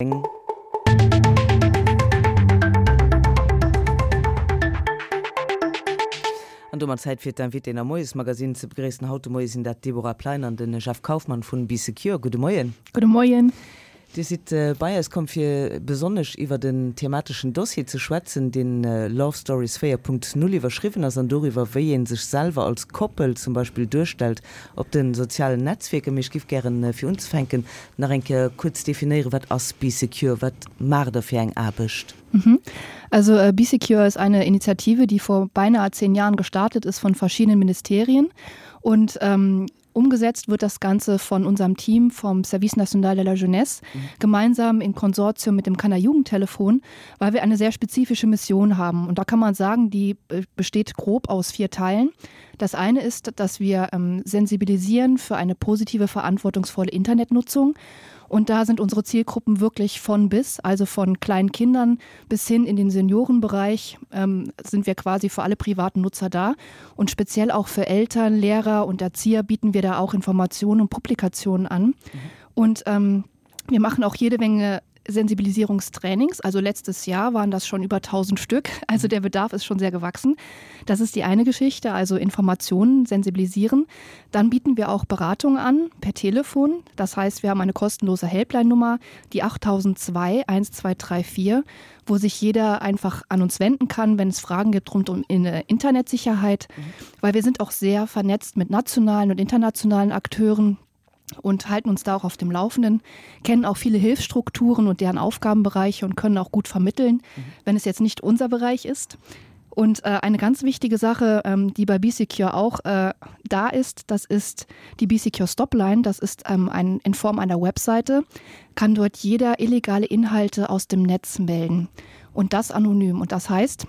An domat Zäit fir d'Invitéen am Moiesmagazin ze begréissen. Haut de Moie sinn dat d'Deborah Plein an de Jeff Kauffmann vun Bee Secure. Gudde Moien. Gudde Moien. Dir sidd bei eis komm fir besonnesch iwwert en themateschen Dossier ze schwätzen, deen Love Stories 4.0 iwwerschriwwen ass an doriwwer, wéi ee sech selwer als Koppel zum Beispill duerstellt op de sozialen Netzwierker. Mee ech giff gären, fir unzefänken, nach eng Kéier kuerz definéieren, wat ass Bee Secure, wat maacht der fir eng Aarbecht? Also Bee Secure ist eine Initiative, die vor beinahe zehn Jahren gestartet ist von verschiedenen Ministerien und Umgesetzt wird das Ganze von unserem Team vom Service National de la Jeunesse mhm. gemeinsam im Konsortium mit dem Kanner Jugendtelefon, weil wir eine sehr spezifische Mission haben. Und da kann man sagen, die besteht grob aus vier Teilen. Das eine ist, dass wir ähm, sensibilisieren für eine positive, verantwortungsvolle Internetnutzung. Und da sind unsere Zielgruppen wirklich von bis, also von kleinen Kindern bis hin in den Seniorenbereich ähm, sind wir quasi für alle privaten Nutzer da. Und speziell auch für Eltern, Lehrer und Erzieher bieten wir da auch Informationen und Publikationen an. Mhm. Und ähm, wir machen auch jede Menge Sensibilisierungstrainings. Also letztes Jahr waren das schon über 1000 Stück. Also der Bedarf ist schon sehr gewachsen. Das ist die eine Geschichte, also Informationen sensibilisieren. Dann bieten wir auch Beratung an per Telefon. Das heißt, wir haben eine kostenlose Helpline-Nummer, die 8002 1234, wo sich jeder einfach an uns wenden kann, wenn es Fragen gibt rund um äh, Internetsicherheit, mhm. weil wir sind auch sehr vernetzt mit nationalen und internationalen Akteuren und halten uns da auch auf dem Laufenden, kennen auch viele Hilfsstrukturen und deren Aufgabenbereiche und können auch gut vermitteln, mhm. wenn es jetzt nicht unser Bereich ist. Und äh, eine ganz wichtige Sache, ähm, die bei BSecure auch äh, da ist, das ist die BSecure Stopline. Das ist ähm, ein, in Form einer Webseite, kann dort jeder illegale Inhalte aus dem Netz melden und das anonym. Und das heißt,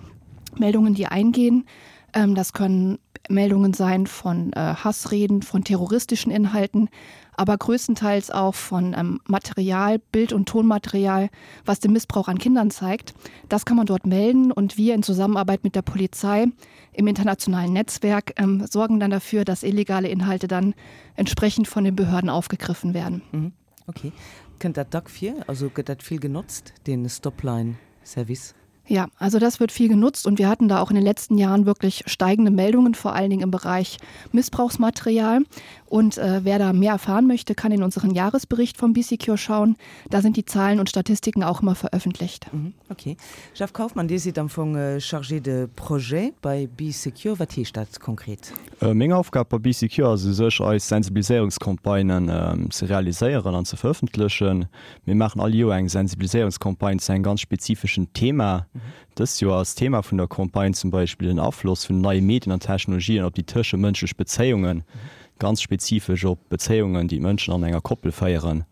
Meldungen, die eingehen, ähm, das können Meldungen sein von äh, Hassreden, von terroristischen Inhalten, aber größtenteils auch von ähm, Material, Bild- und Tonmaterial, was den Missbrauch an Kindern zeigt. Das kann man dort melden und wir in Zusammenarbeit mit der Polizei im internationalen Netzwerk ähm, sorgen dann dafür, dass illegale Inhalte dann entsprechend von den Behörden aufgegriffen werden. Mhm. Okay. Kënnt dat dack vir? Also gëtt dat vill genotzt, dee Stopline-Service? Ja, also das wird viel genutzt und wir hatten da auch in den letzten Jahren wirklich steigende Meldungen, vor allen Dingen im Bereich Missbrauchsmaterial. Und äh, wer da mehr erfahren möchte, kann in unseren Jahresbericht vom BCQ schauen. Da sind die Zahlen und Statistiken auch immer veröffentlicht. Mhm, okay. Jeff Kaufmann, Dir sidd am Fong äh, Chargé de Projet bei BeSecure. Wat heescht dat konkret? Äh, meng Aufgab bei BeSecure ass u sech eis Sensibiliséierungscampagnen äh, ze realiséieren an ze verëffentlechen. Mir maachen all Joer eng Sensibiliséierungscampagne zu engem ganz spezifeschen Thema. Dëst Joer ass d'Thema vun der Campagne zum Beispill den Afloss vun den neie Medien an Technologien op déi tëschemënschlech Bezéiungen, ganz spezifesch op Bezéiungen, déi d'Mënschen an enger Koppel féieren.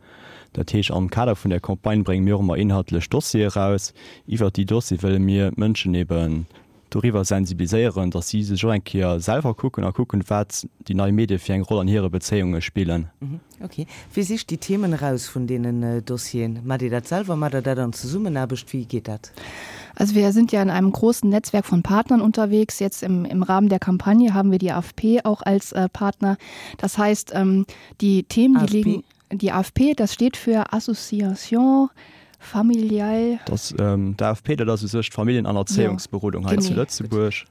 Dat heescht, am Kader vun där Campagne brénge mir och ëmmer inhaltlech Dossiere eraus. Iwwert déi Dossiere wëlle mir d'Mënschen eben doriwwer sensibiliséieren, datt si sech och eng Kéier selwer kucken a kucken, wat déi nei Medie fir eng Roll an hire Bezéiunge spillen. Ok. Wie sicht déi Themen eraus vun deenen Dossieren? Maacht Dir dat selwer? Maacht Der dat an Zesummenaarbecht? Wéi geet dat? Also wir sind ja in einem großen Netzwerk von Partnern unterwegs. Jetzt im, im Rahmen der Kampagne haben wir die AfP auch als äh, Partner. Das heißt, ähm, die Themen, die AFP? liegen die AfP, das steht für Association familial. Das, ähm, d'AFP, dat ass u sech d'Familljen an Erzéiungsberodung hei zu Lëtzebuerg.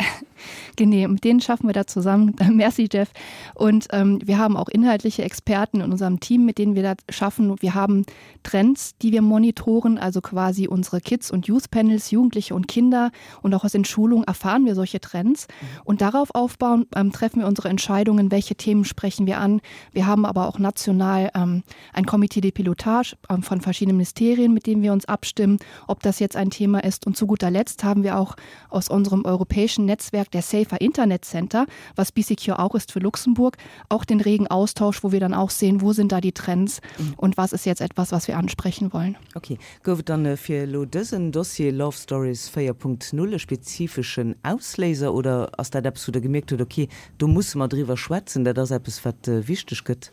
Genee, mit denen schaffen wir da zusammen. Merci, Jeff. Und ähm, wir haben auch inhaltliche Experten in unserem Team, mit denen wir da schaffen. Wir haben Trends, die wir monitoren, also quasi unsere Kids- und Youth-Panels, Jugendliche und Kinder. Und auch aus den Schulungen erfahren wir solche Trends. Mhm. Und darauf aufbauen ähm, treffen wir unsere Entscheidungen, welche Themen sprechen wir an. Wir haben aber auch national ähm, ein Komitee de Pilotage ähm, von verschiedenen Ministerien, mit denen wir uns abstimmen, ob das jetzt ein Thema ist. Und zu guter Letzt haben wir auch aus unserem europäischen Netzwerk der Safer Internet Center, was BCQ auch ist für Luxemburg, auch den regen Austausch, wo wir dann auch sehen, wo sind da die Trends mhm. und was ist jetzt etwas, was wir ansprechen wollen. Okay. Gouf et dann äh, fir elo dësen Dossier Love Stories 4.0 e spezifeschen Ausléiser oder ass dat eppes, wou Der gemierkt hutt, okay, do musse mer driwwer schwätzen, dat ass eppes, wat äh, wichteg gëtt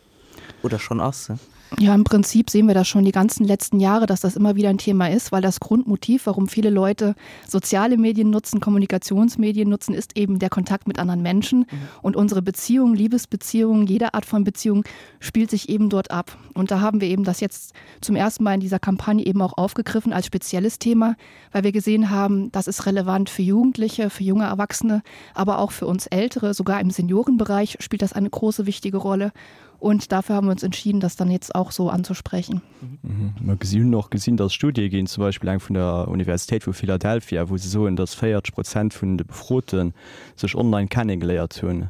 oder schonn ass? Ja, im Prinzip sehen wir das schon die ganzen letzten Jahre, dass das immer wieder ein Thema ist, weil das Grundmotiv, warum viele Leute soziale Medien nutzen, Kommunikationsmedien nutzen, ist eben der Kontakt mit anderen Menschen. Mhm. Und unsere Beziehung, Liebesbeziehungen, jede Art von Beziehung spielt sich eben dort ab. Und da haben wir eben das jetzt zum ersten Mal in dieser Kampagne eben auch aufgegriffen als spezielles Thema, weil wir gesehen haben, das ist relevant für Jugendliche, für junge Erwachsene, aber auch für uns Ältere, sogar im Seniorenbereich spielt das eine große wichtige Rolle. Und dafür haben wir uns entschieden, das dann jetzt auch so anzusprechen. Mhm. Mer gesi hunn och gesinn, datt Studie ginn, zum Beispill eng vun der Universitéit vu Philadelphia, wou se soen, datt 40 Prozent vun de Befrote sech online kennegeléiert hunn.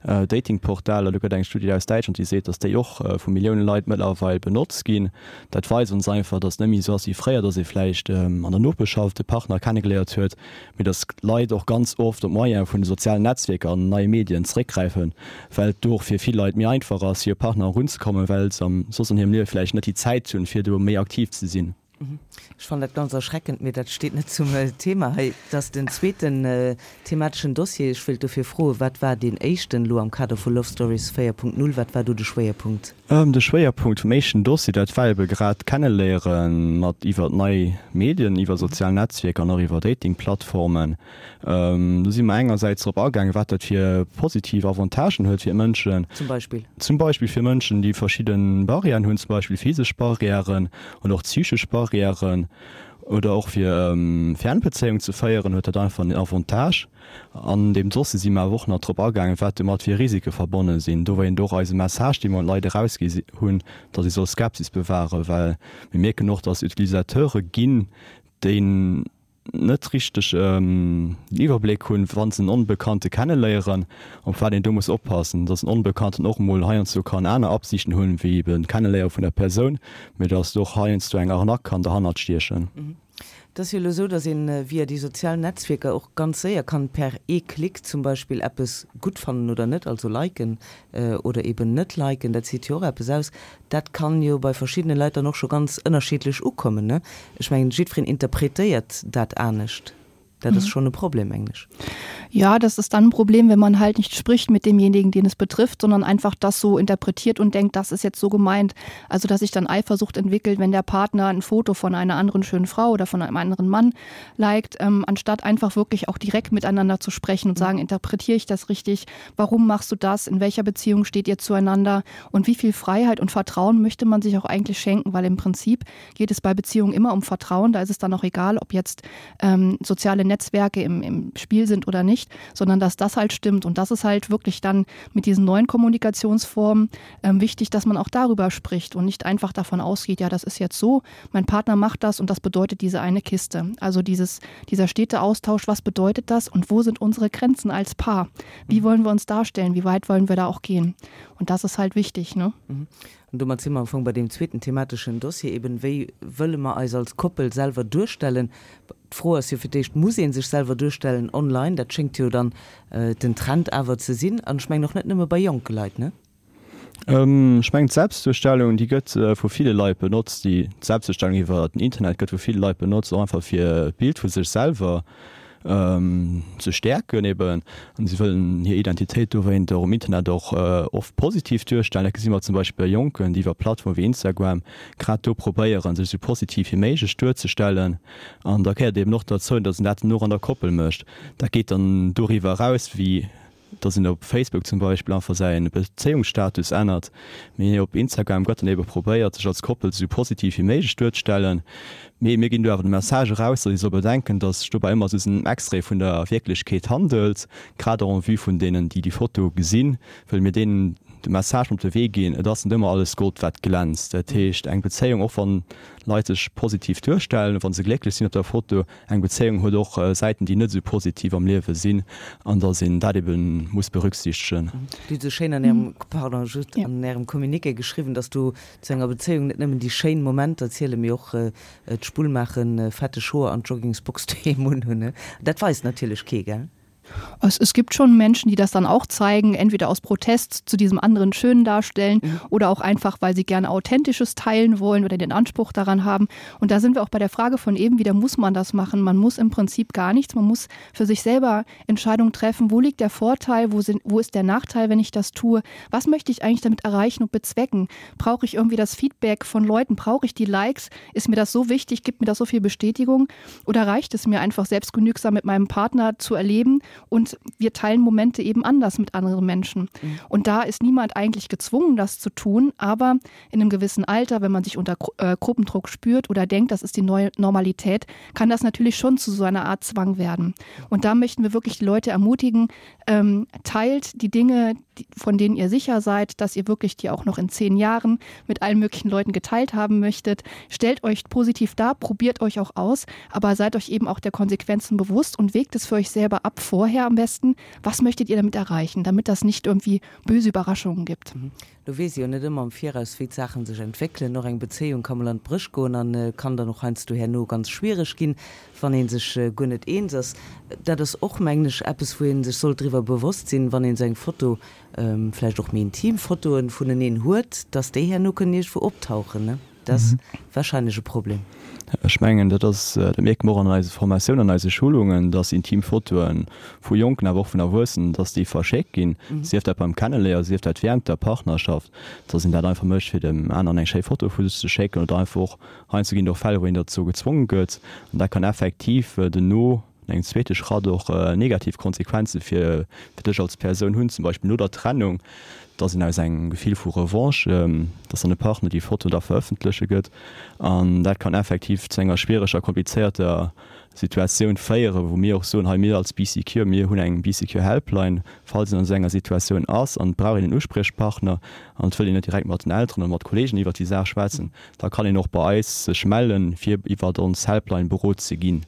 Datingportaler, do gëtt eng Studie aus Däitschland, déi seet, datt déi och vu Millioune Leit mëttlerweil benotzt ginn. Dat weist ons einfach, datt et net méi esou ass wéi fréier, datt ee vläicht an der Nopeschschaft e Partner kennegeléiert huet, mee datt d'Leit och ganz oft op d'Moyene vun de sozialen Netzwierker an neie Medien zeréckgräifen, well et do och fir vill Leit méi einfach ass, hir Partner erunzekommen, well se soss an hirem Liewe vläicht net déi Zäit hunn, fir do méi aktiv ze sinn. Ech fannen dat ganz erschreckend, mee dat steet net zum Thema hei. Et ass den zweeten themateschen Dossier. Ech wéilt dofir froen, Wat war deen éischten elo am Kader vu Love Stories 4.0? Wat war do de Schwéierpunkt? De Schwéierpunkt vum éischten Dossier, dat war ebe grad d'Kenneléiere mat iwwer nei Medien, iwwer sozial Netzwierker an och iwwer Datingplattformen. Do si mer engersäits drop agaangen, wat dat fir positiv Avantagen huet fir d'Mënschen. Zum Beispill? Zum Beispill fir Mënschen, déi verschidde Barrièren hunn, zum Beispill physesch Barrièren oder och psychesch Barrièren. Oder och fir Fernbezéiung ze féieren, huet dat einfach en Avantage. An deem Dossier si mer awer och nach drop agaangen, wat domat fir Risike verbonne sinn. Dowéint och eise Message, dee mer un d'Leit erausgi hunn, datt ee soll Skepsis bewahren, well mir mierken och, datt Utilisateure ginn, déi net richteg den Iwwerbléck hunn, wa se en Onbekannte kenneléieren, op wat een do muss oppassen, datt en Onbekannten och emol heiansdo kann aner Absichten hunn, wéi eben d'Kenneléiere vun der Persoun, mee datt och heiansdo eng Arnaque kann derhannert stiechen. Et ass jo elo esou, datt een via déi sozial Netzwierker och ganz séier kann per ee Klick zum Beispill eppes gutt fannen oder net, also liken oder eben net liken. Dat seet jo och eppes aus. Dat kann jo bei verschiddene Leit dann och scho ganz ënnerschiddlech ukommen, ne? Ech mengen, jiddwereen interpretéiert dat anescht. Dat ass schonn e Problem, mengen ech. Ja, das ist dann ein Problem, wenn man halt nicht spricht mit demjenigen, den es betrifft, sondern einfach das so interpretiert und denkt, das ist jetzt so gemeint. Also dass sich dann Eifersucht entwickelt, wenn der Partner ein Foto von einer anderen schönen Frau oder von einem anderen Mann liked, ähm, anstatt einfach wirklich auch direkt miteinander zu sprechen und sagen, interpretiere ich das richtig? Warum machst du das? In welcher Beziehung steht ihr zueinander? Und wie viel Freiheit und Vertrauen möchte man sich auch eigentlich schenken? Weil im Prinzip geht es bei Beziehungen immer um Vertrauen. Da ist es dann auch egal, ob jetzt ähm, soziale Netzwerke im, im Spiel sind oder nicht, sondern dass das halt stimmt. Und das ist halt wirklich dann mit diesen neuen Kommunikationsformen ähm, wichtig, dass man auch darüber spricht und nicht einfach davon ausgeht, ja, das ist jetzt so, mein Partner macht das und das bedeutet diese eine Kiste. Also dieses, dieser stete Austausch, was bedeutet das und wo sind unsere Grenzen als Paar? Wie mhm. wollen wir uns darstellen? Wie weit wollen wir da auch gehen? Und das ist halt wichtig. Ne? Mhm. An domat si mer am Fong bei deem zweeten themateschen Dossier, eben, Wéi wëlle mer eis als Koppel selwer duerstellen? D'Fro ass jo fir d'éischt, Muss ee sech selwer duerstellen online? Dat schéngt jo dann den Trend awer ze sinn. An ech mengen och net nëmme bei jonke Leit, ne? Ech mengen, d'Selbstduerstellung, déi gëtt vu ville Leit benotzt. Déi Selbstduerstellung iwwer den Internet gëtt vu ville Leit benotzt, och einfach fir d'Bild vu sech selwer ze stäerken eben an si wëllen hir Identitéit dowéint och um Internet och oft positiv duerstellen. Dat gesi mer zum Beispill bei Jonken, déi iwwer Plattforme wéi Instagram grad do probéieren, sech esou positiv wéi méiglech duerzestellen. An da gehéiert eben och derzou, datt een dat dann och an der Koppel mécht. Dat geet dann doriwwer eraus, wéi dass een op Facebook zum Beispill einfach säi Bezéiungsstatus ännert, mee op Instagram gëtt dann ebe probéiert, sech als Koppel esou positiv wéi méiglech duerzestellen. Mee mir ginn do awer de Message eraus, dass ee soll bedenken, dass sech dobäi ëmmer esou en Extrait vun der Wierklechkeet handelt. Grad och en vue vun deenen, déi déi Foto gesinn, wëlle mir deenen de Message mat op de Wee ginn, et ass net ëmmer alles Gold, wat glänzt. Dat heescht, eng Bezéiung, och wann Leit sech positiv duerstellen, wa se glécklech sinn op der Foto, Eng Bezéiung huet och Säiten, déi net esou positiv am Liewe sinn, an datt een dat ebe muss berücksichtegen. Dir hutt esou schéin an Ärem, pardon, just an Ärem Communiqué geschriwwen, datt do zu enger Bezéiung net nëmmen déi schéin Momenter zielen, mee och d'Spull maachen, fetteg Hoer an d'Joggingsbox doheem unhunn. Dat weist natierlech kee, gell? Es, es gibt schon Menschen, die das dann auch zeigen, entweder aus Protest zu diesem anderen schönen darstellen mhm. oder auch einfach, weil sie gerne authentisches teilen wollen oder den Anspruch daran haben. Und da sind wir auch bei der Frage von eben wieder muss man das machen. Man muss im Prinzip gar nichts. Man muss für sich selber Entscheidungen treffen. Wo liegt der Vorteil? Wo, sind, wo ist der Nachteil, wenn ich das tue? Was möchte ich eigentlich damit erreichen und bezwecken? Brauche ich irgendwie das Feedback von Leuten? Brauche ich die Likes? Ist mir das so wichtig? Gibt mir das so viel Bestätigung? Oder reicht es mir einfach selbstgenügsam mit meinem Partner zu erleben und wir teilen Momente eben anders mit anderen Menschen. Mhm. Und da ist niemand eigentlich gezwungen, das zu tun, aber in einem gewissen Alter, wenn man sich unter äh, Gruppendruck spürt oder denkt, das ist die neue Normalität, kann das natürlich schon zu so einer Art Zwang werden. Und da möchten wir wirklich die Leute ermutigen, ähm, teilt die Dinge, die, von denen ihr sicher seid, dass ihr wirklich die auch noch in zehn Jahren mit allen möglichen Leuten geteilt haben möchtet. Stellt euch positiv dar, probiert euch auch aus, aber seid euch eben auch der Konsequenzen bewusst und wägt es für euch selber ab vorher am besten. Was möchtet ihr damit erreichen, damit das nicht irgendwie böse Überraschungen gibt? Mhm. Do weess ee jo net ëmmer am Viraus, wéi d'Saachen sech entwéckelen. Och eng Bezéiung ka mol an d'Bréch goen an kann dann och heiansdo herno ganz schwiereg ginn, wann ee sech guer net eens ass. Dat ass och, mengen ech, eppes, wou ee sech sollt driwwer bewosst sinn, wann een esou eng Foto, vläicht och méi intim Fotoen vuneneen huet, dass déi herno kënnen iergendwou optauchen. Dat ass wahrscheinlech e Problem. Ech mengen, dat ass, dat mierke mer och an eise Formatiounen, an eise Schulungen, dass intim Fotoe vu Jonken, awer och vun Erwuessenen, dass déi verschéckt ginn, sief dat beim Kenneléieren, sief dat während der Partnerschaft, dass een dat einfach mécht, fir dem aneren eng schéi Foto vu sech ze schécken oder einfach och, heiansdo ginn et och Fäll, wou een derzou gezwonge gëtt an dat kann effektiv dono, An engem zweete Schratt och negativ Konsequenze fir dech als Persoun hunn, zum Beispill no der Trennung, dass een aus engem Gefill vu Revanche, dass dann de Partner déi Foto da verëffentleche gëtt. An dat kann effektiv zu enger schwiereger, komplizéierter Situatioun féieren, wou mir och soen, hei mir als Bee Secure, mir hunn eng Bee Secure Helpline, falls een an esou enger Situatioun ass an et brauch een en Uspriechpartner an et wëll een net direkt mat den Elteren oder mat Kollegen iwwert déi Saach schwätzen, da kann een och bei eis sech mellen, fir iwwert ons Helpline berot ze ginn.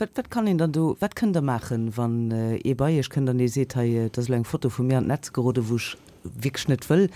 Wat, wat kann een dann do, wat kënnt Der maachen, wann ee bei Iech kënnt an ee seet, hei, et ass elo eng Foto vu mir an d'Netz geroden, wou ech wierklech net wëll?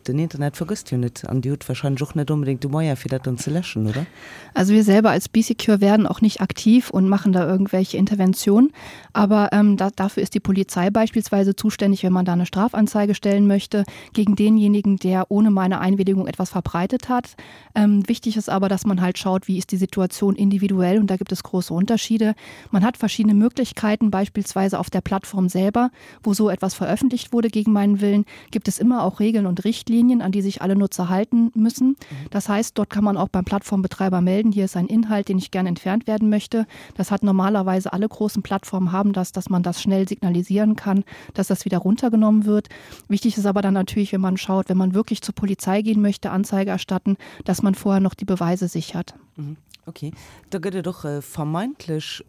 Den Internet vergësst jo net an Dir hutt wahrscheinlech och net onbedéngt de Moyen, fir dat dann ze läschen, oder? Also wir selber als BeeSecure werden auch nicht aktiv und machen da irgendwelche Interventionen. Aber ähm, da, dafür ist die Polizei beispielsweise zuständig, wenn man da eine Strafanzeige stellen möchte gegen denjenigen, der ohne meine Einwilligung etwas verbreitet hat. Ähm, wichtig ist aber, dass man halt schaut, wie ist die Situation individuell und da gibt es große Unterschiede. Man hat verschiedene Möglichkeiten, beispielsweise auf der Plattform selber, wo so etwas veröffentlicht wurde gegen meinen Willen, gibt es immer auch Regeln und Richtlinien, an die sich alle Nutzer halten müssen. Das heißt, dort kann man auch beim Plattformbetreiber melden, hier ist ein Inhalt, den ich gerne entfernt werden möchte. Das hat normalerweise alle großen Plattformen haben das, dass man das schnell signalisieren kann, dass das wieder runtergenommen wird. Wichtig ist aber dann natürlich, wenn man schaut, wenn man wirklich zur Polizei gehen möchte, Anzeige erstatten, dass man vorher noch die Beweise sichert. Mhm. Ok, da gëtt et och vermeintlech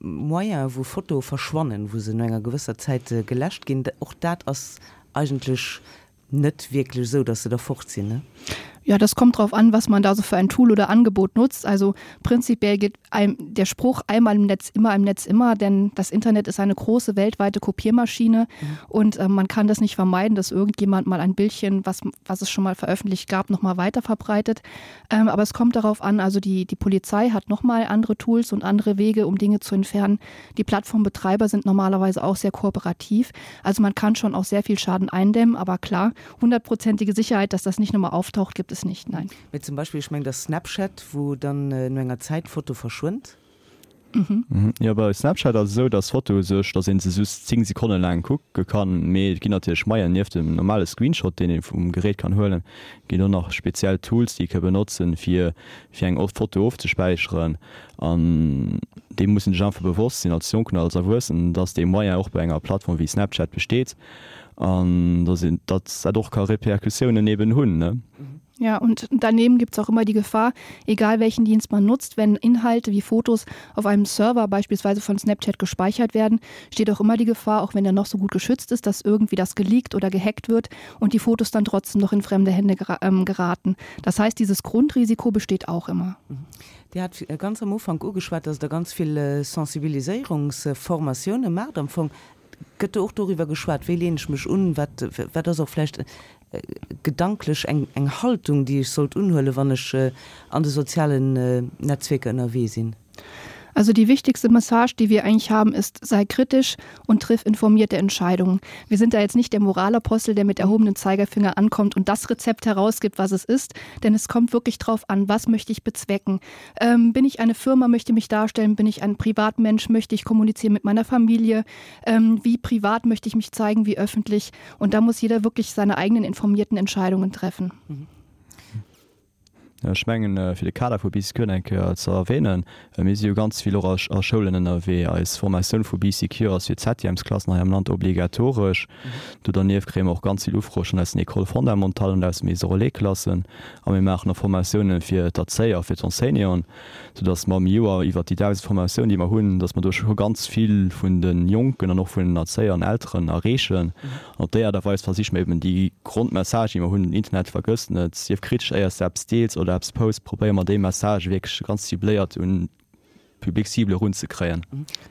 Moyene wou Fotoe verschwannen, wou se no enger gewësser Zäit geläscht ginn. Och dat ass eigentlech net wierklech esou, datt se da fort sinn, ne? Ja, das kommt drauf an, was man da so für ein Tool oder Angebot nutzt. Also prinzipiell gilt einem der Spruch einmal im Netz immer im Netz immer, denn das Internet ist eine große weltweite Kopiermaschine mhm. und äh, man kann das nicht vermeiden, dass irgendjemand mal ein Bildchen, was, was es schon mal veröffentlicht gab, noch mal weiter verbreitet. Ähm, aber es kommt darauf an, also die, die Polizei hat noch mal andere Tools und andere Wege, um Dinge zu entfernen. Die Plattformbetreiber sind normalerweise auch sehr kooperativ. Also man kann schon auch sehr viel Schaden eindämmen, aber klar, hundertprozentige Sicherheit, dass das nicht nochmal auftaucht, gibt es nicht. Nein. Mee zum Beispill, ech mengen, dat ass Snapchat, wou dann no enger Zäit d'Foto verschwënnt. Mhm. Jo, bei Snapchat ass et esou, dass d'Foto u sech, dass ee se just 10 Sekonne laang kucke kann, mee et ginn natierlech Moyenen, nieft dem normale Screenshot, deen ee vum Gerät kann huelen, ginn och nach speziell Tools, déi ee ka benotzen, fir fir eng Foto ofzespäicheren. An deem muss een sech einfach bewosst sinn, als Jonken oder als Erwuessenen, dass dee Moyen och bei enger Plattform wéi Snapchat besteet an dass een, dass dat och ka Repercussiounen eben hunn, ne? Ja, und daneben gibt es auch immer die Gefahr, egal welchen Dienst man nutzt, wenn Inhalte wie Fotos auf einem Server beispielsweise von Snapchat gespeichert werden, steht auch immer die Gefahr, auch wenn er noch so gut geschützt ist, dass irgendwie das geleakt oder gehackt wird und die Fotos dann trotzdem noch in fremde Hände ähm, geraten. Das heißt, dieses Grundrisiko besteht auch immer. Dir hat ganz am Ufank ugeschwat, dass Der ganz vill Sensibiliséierungsformatioune maacht. Am Fong gëtt do och doriwwer geschwat, wéi leen ech mech un, wat, wat ass och vläicht gedanklech eng, eng Haltung, déi ech sollt unhuelen, wann ech an de sozialen Netzwierker ënnerwee sinn? Also die wichtigste Message, die wir eigentlich haben, ist sei kritisch und triff informierte Entscheidungen. Wir sind da jetzt nicht der Moralapostel, der mit erhobenem Zeigerfinger ankommt und das Rezept herausgibt, was es ist, denn es kommt wirklich darauf an, was möchte ich bezwecken. Ähm, bin ich eine Firma, möchte mich darstellen, bin ich ein Privatmensch, möchte ich kommunizieren mit meiner Familie, ähm, wie privat möchte ich mich zeigen, wie öffentlich und da muss jeder wirklich seine eigenen informierten Entscheidungen treffen. Mhm. Ech mengen, fir de Kader vu Bee Secure eng Kéier ze erwähnen, mir si jo ganz vill och a Schoulen ënnerwee. Eis Formatioun vu Bee Secure ass fir d'Septièmesklassen hei am Land obligatoresch. Do dernieft kréie mer och ganz vill Ufroe schonn aus den Écoles fondamentales an aus de Maisons relais-Klassen. A mir maachen och Formatiounen fir d'Erzéier, fir d'Enseignanten, soudass mer am Joer iwwert déi 1.000 Formatiounen, déi mer hunn, dass mer do scho ganz vill vun de Jonken an och vun den Erzéier an Elteren erreechen. An op déi Aart a Weis versiche mer eben déi Grondmessage, déi mer hunn, den Internet vergëss net, sief kritesch éiers de eppes deels oder eppes posts, probéiere mer déi Message wierklech ganz cibléiert un d'Public cible erunzekréien.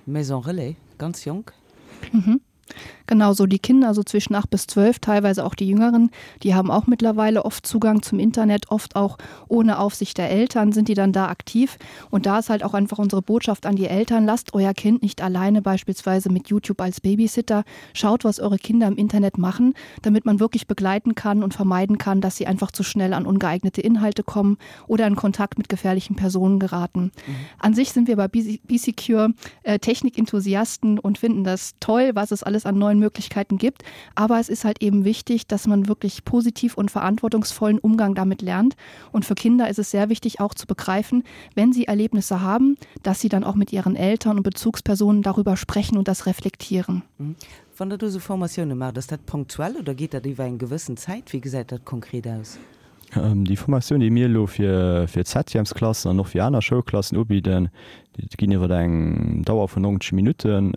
Maison Relais, ganz jonk. Genau so die Kinder so zwischen 8 bis 12, teilweise auch die Jüngeren, die haben auch mittlerweile oft Zugang zum Internet, oft auch ohne Aufsicht der Eltern sind die dann da aktiv. Und da ist halt auch einfach unsere Botschaft an die Eltern, lasst euer Kind nicht alleine beispielsweise mit YouTube als Babysitter, schaut, was eure Kinder im Internet machen, damit man wirklich begleiten kann und vermeiden kann, dass sie einfach zu schnell an ungeeignete Inhalte kommen oder in Kontakt mit gefährlichen Personen geraten. Mhm. An sich sind wir bei BCCure äh, Technikenthusiasten und finden das toll, was es alles an neuen Möglichkeiten gibt. Aber es ist halt eben wichtig, dass man wirklich positiv und verantwortungsvollen Umgang damit lernt. Und für Kinder ist es sehr wichtig auch zu begreifen, wenn sie Erlebnisse haben, dass sie dann auch mit ihren Eltern und Bezugspersonen darüber sprechen und das reflektieren. Mhm. Wann Der do esou Formatioune maacht, ass dat punktuell oder geet dat iwwer eng gewëssen Zäit? Wéi gesäit dat konkret aus? Déi Formatioun, déi mir elo fir d'Septièmesklassen an och fir aner Schoulklassen ubidden, déi ginn iwwer eng Dauer vun 90 Minutten.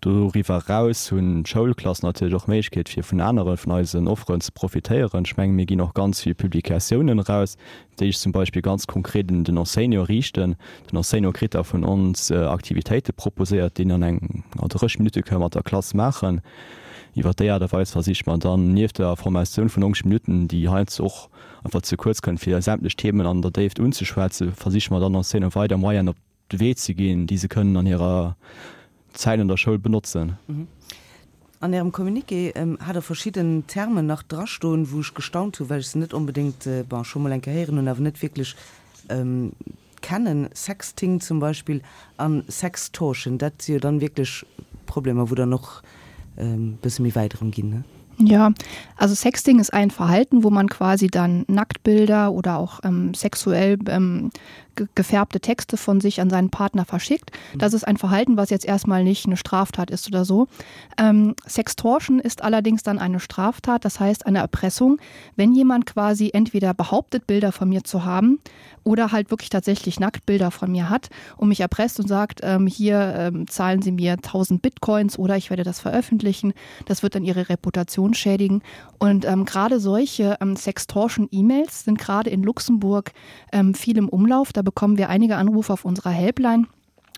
Doriwwer eraus hunn d'Schoulklassen natierlech och d'Méiglechkeet, fir vun anere vun eisen Offeren ze profitéieren. Ech menge mir ginn och ganz vill Publikatiounen eraus, déi sech zum Beispill ganz konkret un den Enseignant riichten. Den Enseignant kritt da vun ons Aktivitéite proposéiert, déi en an eng 30 Minutte ka mat der Klass maachen. Iwwer déi Aart a Weis versiche mer dann, nieft der Formatioun vun 90 Minutten, déi heiansdo och einfach ze kuerz kënnt, fir sämtlech Themen an der Déift unzeschwätzen, versiche mer dann Enseignanten weider Moyenen op de Wee ze ginn, déi se kënnen an hirer Zäit an der Schoul benotzen. An Ärem Communiqué hat Der verschidden Termen nach drastoen, wou ech gestaunt hunn, well ech se net onbedéngt, bon, scho mol eng Kéier héieren hunn, awer net wierklech kennen, Sexting zum Beispill an Sextortion. Dat si jo dann wierklech Problemer, wou dann och e bësse méi wäit erëm ginn, ne? Ja, also Sexting ist ein Verhalten, wo man quasi dann Nacktbilder oder auch ähm, sexuell ähm, gefärbte Texte von sich an seinen Partner verschickt. Das ist ein Verhalten, was jetzt erstmal nicht eine Straftat ist oder so. Ähm, Sextortion ist allerdings dann eine Straftat, das heißt eine Erpressung, wenn jemand quasi entweder behauptet, Bilder von mir zu haben oder halt wirklich tatsächlich Nacktbilder von mir hat und mich erpresst und sagt, ähm, hier ähm, zahlen Sie mir 1000 Bitcoins oder ich werde das veröffentlichen. Das wird dann Ihre Reputation schädigen. Und ähm, gerade solche ähm, Sextortion-E-Mails sind gerade in Luxemburg ähm, viel im Umlauf. Da bekommen wir einige Anrufe auf unserer Helpline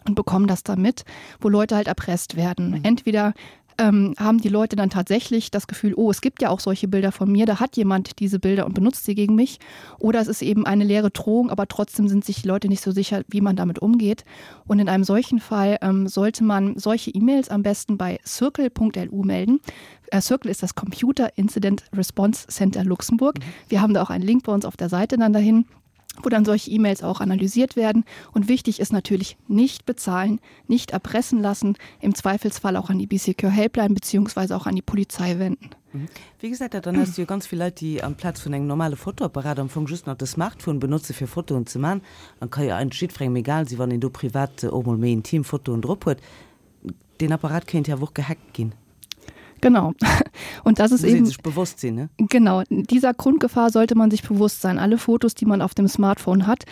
und bekommen das damit, wo Leute halt erpresst werden. Mhm. Entweder ähm, haben die Leute dann tatsächlich das Gefühl, oh, es gibt ja auch solche Bilder von mir, da hat jemand diese Bilder und benutzt sie gegen mich. Oder es ist eben eine leere Drohung, aber trotzdem sind sich die Leute nicht so sicher, wie man damit umgeht. Und in einem solchen Fall ähm, sollte man solche E-Mails am besten bei circle.lu melden. Äh, Circle ist das Computer Incident Response Center Luxemburg. Mhm. Wir haben da auch einen Link bei uns auf der Seite dann dahin wo dann solche E-Mails auch analysiert werden. Und wichtig ist natürlich nicht bezahlen, nicht erpressen lassen, im Zweifelsfall auch an die BCQ Helpline beziehungsweise auch an die Polizei wenden. Mhm. Wéi gesäit dat dann aus? Jo ganz vill Leit, déi amplaz vun engem normale Fotoapparat am Fong just nach de Smartphone benotze fir Fotoen ze man. An ka jo eigentlech jiddwerengem egal si wann een do privat och mol méi intim Fotoen drop huet. Deen Apparat kéint jo awer och gehackt ginn. Genau. Und das ist Muss eben sech bewosst sinn, ne? Genau, dieser Grundgefahr sollte man sich bewusst sein. Alle Fotos, die man auf dem Smartphone hat,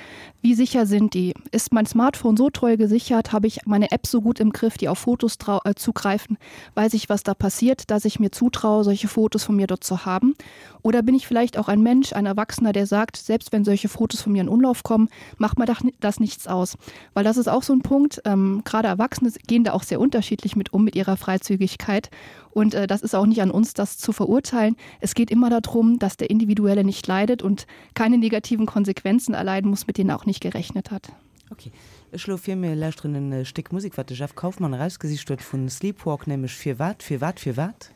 wie sicher sind die? Ist mein Smartphone so toll gesichert? Habe ich meine App so gut im Griff, die auf Fotos äh, zugreifen? Weiß ich, was da passiert, dass ich mir zutraue, solche Fotos von mir dort zu haben? Oder bin ich vielleicht auch ein Mensch, ein Erwachsener, der sagt, selbst wenn solche Fotos von mir in Umlauf kommen, macht mir das nichts aus. Weil das ist auch so ein Punkt, ähm, gerade Erwachsene gehen da auch sehr unterschiedlich mit um mit ihrer Freizügigkeit. Und äh, das ist auch nicht an uns, das zu verurteilen. Es geht immer darum, dass der Individuelle nicht leidet und keine negativen Konsequenzen erleiden muss, mit denen er auch nicht gerechnet hat. Ok, ech schloe vir, mir lauschteren e Stéck Musek, wat de Jeff Kaufmann erausgesicht huet vu Sleepwalk, nämlech Firwat, firwat, firwat?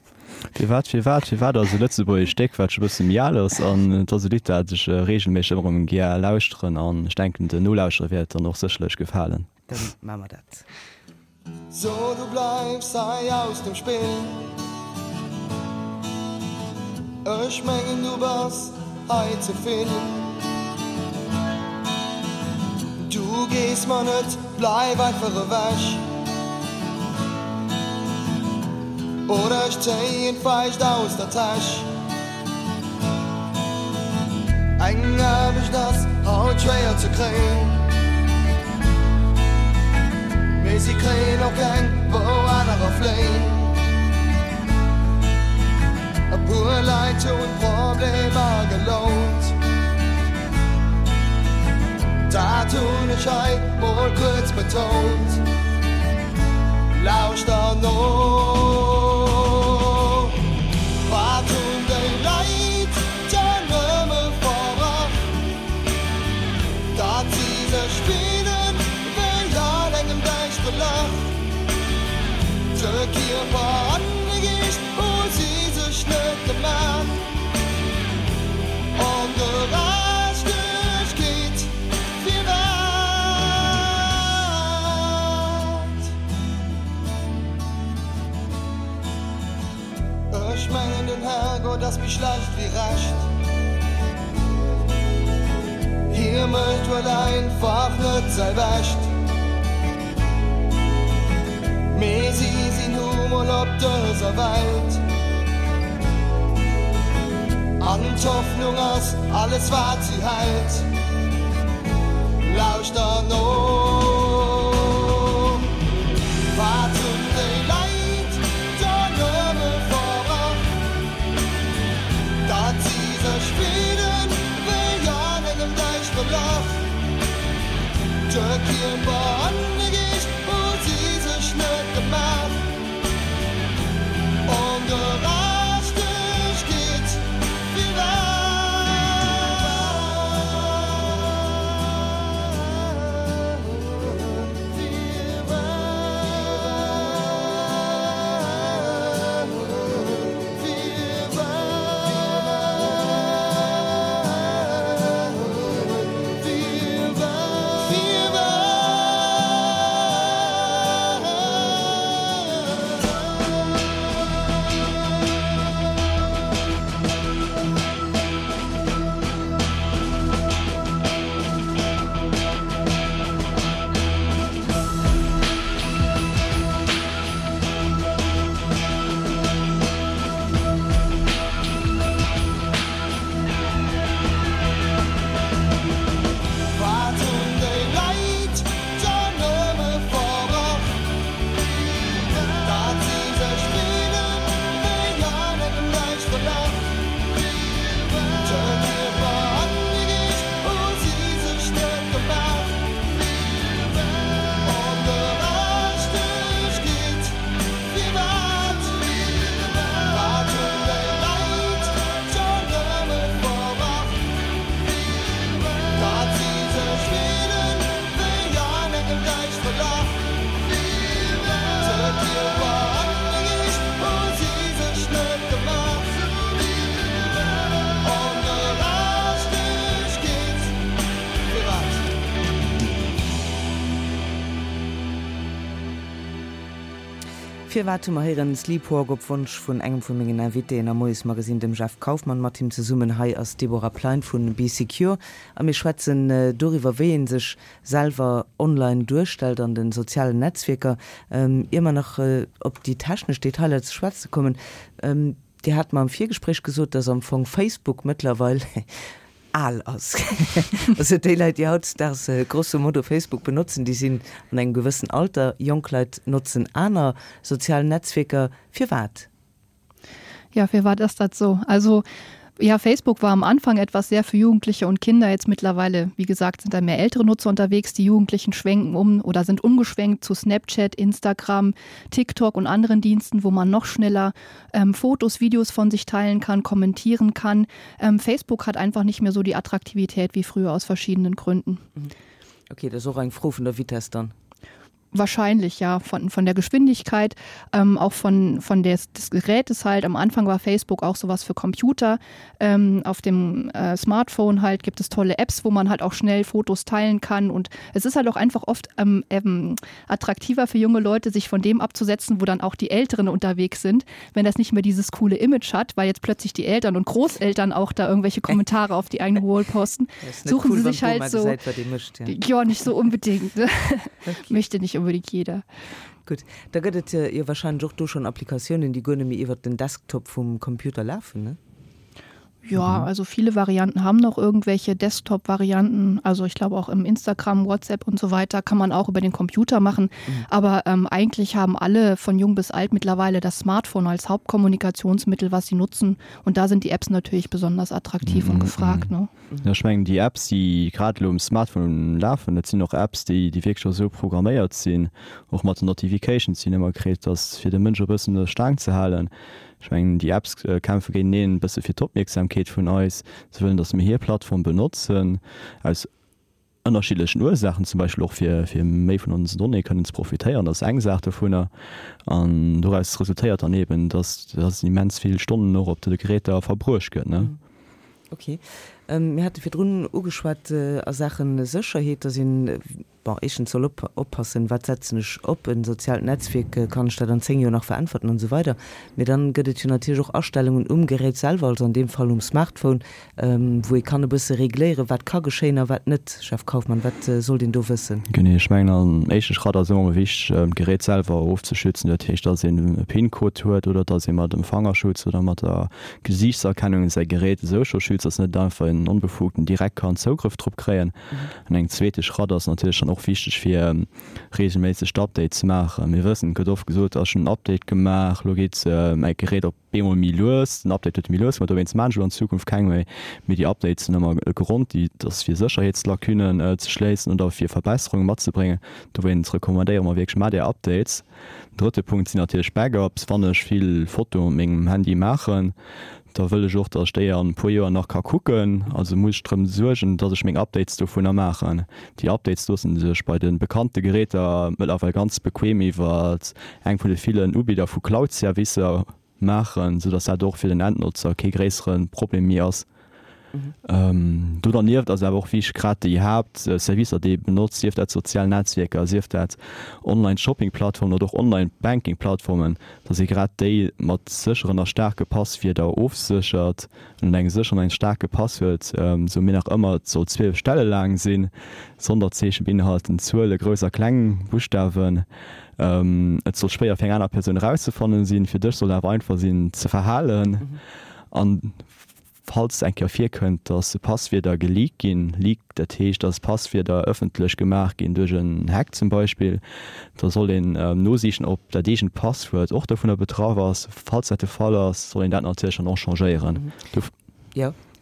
Firwat, firwat, firwat ass e lëtzebuergescht Stéck, wat scho e bësse méi al ass an et ass e Lidd, dat ech reegelméisseg ëmmer erëm gär lauschteren an ech denken, den Nolauschterer wäert et dann och sécherlech gefalen. Dann maache mer dat. So du bleifs hei aus dem Spill. Ech mengen du bass hei ze vill. Du gees mer net, bleif einfach ewech. Oder ech zéien d'Faischt aus der Täsch. Eng Aarbecht ass haut schwéier ze kréien, mee si kréien och keng, wou anerer fléien. E puer Leit hunn d'Problemer gelount, dat hunn ech hei mol kuerz betount. Lauschter no, wat hunn déi Leit dann nëmme verbrach, datt si sech fillen wéi an engem däischtere Lach. De Kierper an de Geescht hu si sech net gemaach. Ongerechtegkeet, firwat? Ech mengen den Herrgott ass méi schlecht wéi recht. Hie mécht wuel einfach net säi Bescht. Mee si sinn nu mol op dëser Welt. An d'Hoffnung ass alles wat si hält. Lauschter no, wat hunn déi Leit da nëmme verbrach, datt si sech fillen wéi an engem däischtere Lach. De Kierper an de Geescht hu si sech net gemaach. Ongerechtegkeet, firwat? Wat hunn déi Leit dann nëmme verbrach, datt si sech fillen wéi an engem däischtere Lach? De Kierper an de Geescht hu si sech net gemaach. Ongerechtegkeet, firwat? Wat hunn déi Leit dann nëmme verbrach, datt si sech fillen wéi an engem däischtere Lach? De Kierper an de Geescht hu si sech net gemaach. Ongerechtegkeet, firwat? Firwat hu mer héieren Sleepwalk op Wonsch vun engem vu mengen Invitéen am Moiesmagazine, dem Jeff Kaufmann. Mat him zesummen hei ass d'Deborah Plein vu Bee Secure a mir schwätzen doriwwer, wéi ee sech selwer online duerstellt an de sozialen Netzwierker. Ier mer nach op déi technesch Detailer ze schwätze kommen, Dir hat mer am Virgespréich gesot, dass am Fong Facebook mëttlerweil al ass. Also déi Leit, déi hautdesdaags grosso modo Facebook benotzen, déi sinn an engem gewëssen Alter. Jonk Leit notzen aner sozial Netzwierker. Firwat? Ja, firwat ass dat sou? Also ja, Facebook war am Anfang etwas sehr für Jugendliche und Kinder. Jetzt mittlerweile, wie gesagt, sind da mehr ältere Nutzer unterwegs. Die Jugendlichen schwenken um oder sind umgeschwenkt zu Snapchat, Instagram, TikTok und anderen Diensten, wo man noch schneller ähm, Fotos, Videos von sich teilen kann, kommentieren kann. Ähm, Facebook hat einfach nicht mehr so die Attraktivität wie früher aus verschiedenen Gründen. Mhm. Okay, dat ass och eng Fro vun der Vitess dann. Wahrscheinlich ja von, von der Geschwindigkeit, ähm, auch von, von des, des Gerätes halt. Am Anfang war Facebook auch sowas für Computer. Ähm, auf dem äh, Smartphone halt gibt es tolle Apps, wo man halt auch schnell Fotos teilen kann. Und es ist halt auch einfach oft ähm, ähm, attraktiver für junge Leute, sich von dem abzusetzen, wo dann auch die Älteren unterwegs sind, wenn das nicht mehr dieses coole Image hat, weil jetzt plötzlich die Eltern und Großeltern auch da irgendwelche Kommentare auf die eigene Wall posten, suchen cool, sie sich halt so gesäit, wat ee mécht, ja. Ja, nicht so unbedingt. Okay. Möchte nicht unbedingt jeder. Gutt, da gëtt et jo wahrscheinlech och do schonn Applikatiounen, déi guer net méi iwwert den Desktop vum Computer lafen, ne? Ja, also viele Varianten haben noch irgendwelche Desktop-Varianten. Also ich glaube auch im Instagram, WhatsApp und so weiter kann man auch über den Computer machen. Mhm. Aber ähm, eigentlich haben alle von jung bis alt mittlerweile das Smartphone als Hauptkommunikationsmittel, was sie nutzen. Und da sind die Apps natürlich besonders attraktiv mhm. und gefragt. Ne? Ja, ech mengen déi Apps, déi grad elo um Smartphone lafen, dat sinn och Apps, déi déi wierklech och esou programméiert sinn, och mat den Notifications, déi een ëmmer kritt, dass fir de Mënsch och e bëssen un der Staang ze halen. Ech mengen déi Apps kämpfe géinteneen e bësse fir d'Opmierksamkeet vun eis. Se wëllen, dass mir hir Plattform benotzen, aus ënnerschiddlechen Ursaachen, zum Beispill och fir fir méi vun onsen Donnéeë kënnen ze profitéieren, dat ass eng Saach dovunner. An doraus resultéiert dann eben, dass dass immens vill Stonnen och op de Geräter verbruecht gëtt, ne. Ok. Mir hate virdrun ugeschwat a Saache Sécherheet, dass een, bon, éischtens soll op oppassen, wat setzen ech op e soziaalt Netzwierk, kann ech dat an 10 Joer nach veräntwerten an esou weider. Mee dann gëtt et jo natierlech och Astellungen um Gerät selwer, also an deem Fall um Smartphone, wou ee kann e bësse regléieren, wat ka geschéien a wat net. Jeff Kaufmann, wat sollt een do wëssen? Genee, ech mengen am éischte Schratt ass ëmmer wichteg, d'Gerät selwer ofzeschützen. Dat heescht, dass een e PIN-Code huet oder dass ee mat dem Fangerschutz oder mat der Gesiichtserkennung säi Gerät esou scho schützt, dass net einfach en Onbefugten direkt kann Zougrëff drop kréien. An engem zweete Schratt ass natierlech dann och wichteg, fir reegelméisseg d'Updates ze maachen. Mir wëssen, et gëtt oft gesot, ach ech hunn en Update gemaach, elo geet mäi Gerät op Bemol méi lues, den Update huet méi lues gemaach, dowéinst maan ech elo an Zukunft keng méi. Mee déi Updates sinn ëmmer e Grond, déi ass fir Sécherheetslacunen ze schléissen oder fir Verbesserunge matzebréngen. Dowéinst recommandéiere mer wierklech, maacht är Updates. Den drëtte Punkt sinn natierlech Backups. Wann ech vill Fotoe mat mengem Handy maachen, da wëll ech och, datt ech déi an e puer Joer nach ka kucken. Also muss ech drëm suergen, datt ech meng Updates dovunner maachen. Déi Updates loosse sech bei de bekannte Geräter mëttlerweil ganz bequem iwwer eng vun de villen Ubidder vu Cloud-Servicer maachen, sou dass dat och fir den Endnotzer kee gréissere Problem méi ass. Do dernieft ass awer och wichteg, grad déi Haaptservicer, déi ee benotzt, sief dat sozial Netzwierker, sief dat Online-Shopping-Plattformen oder och Online-Banking-Plattformen, dass ee grad déi mat sécheren a staarke Passwierder ofséchert. An engem sécheren an staarke Passwuert, sou mir nach ëmmer, et soll 12 Stelle laang sinn, Sonderzeechen beinhalten, Zuele, grouss a kleng Buschtawen, et soll schwéier fir eng aner Persoun erauszefannen sinn, fir dech soll et awer einfach sinn ze verhalen. An falls eng Kéier virkënnt, dass Passwierder geleakt ginn, leak, dat heescht, dass Passwierder ëffentlech gemaach ginn duerch en Hack zum Beispill, da soll een nosichen, ob dat eegent Passwuert och dovunner betraff ass. Falls dat de Fall ass, soll een dat natierlech dann och changéieren.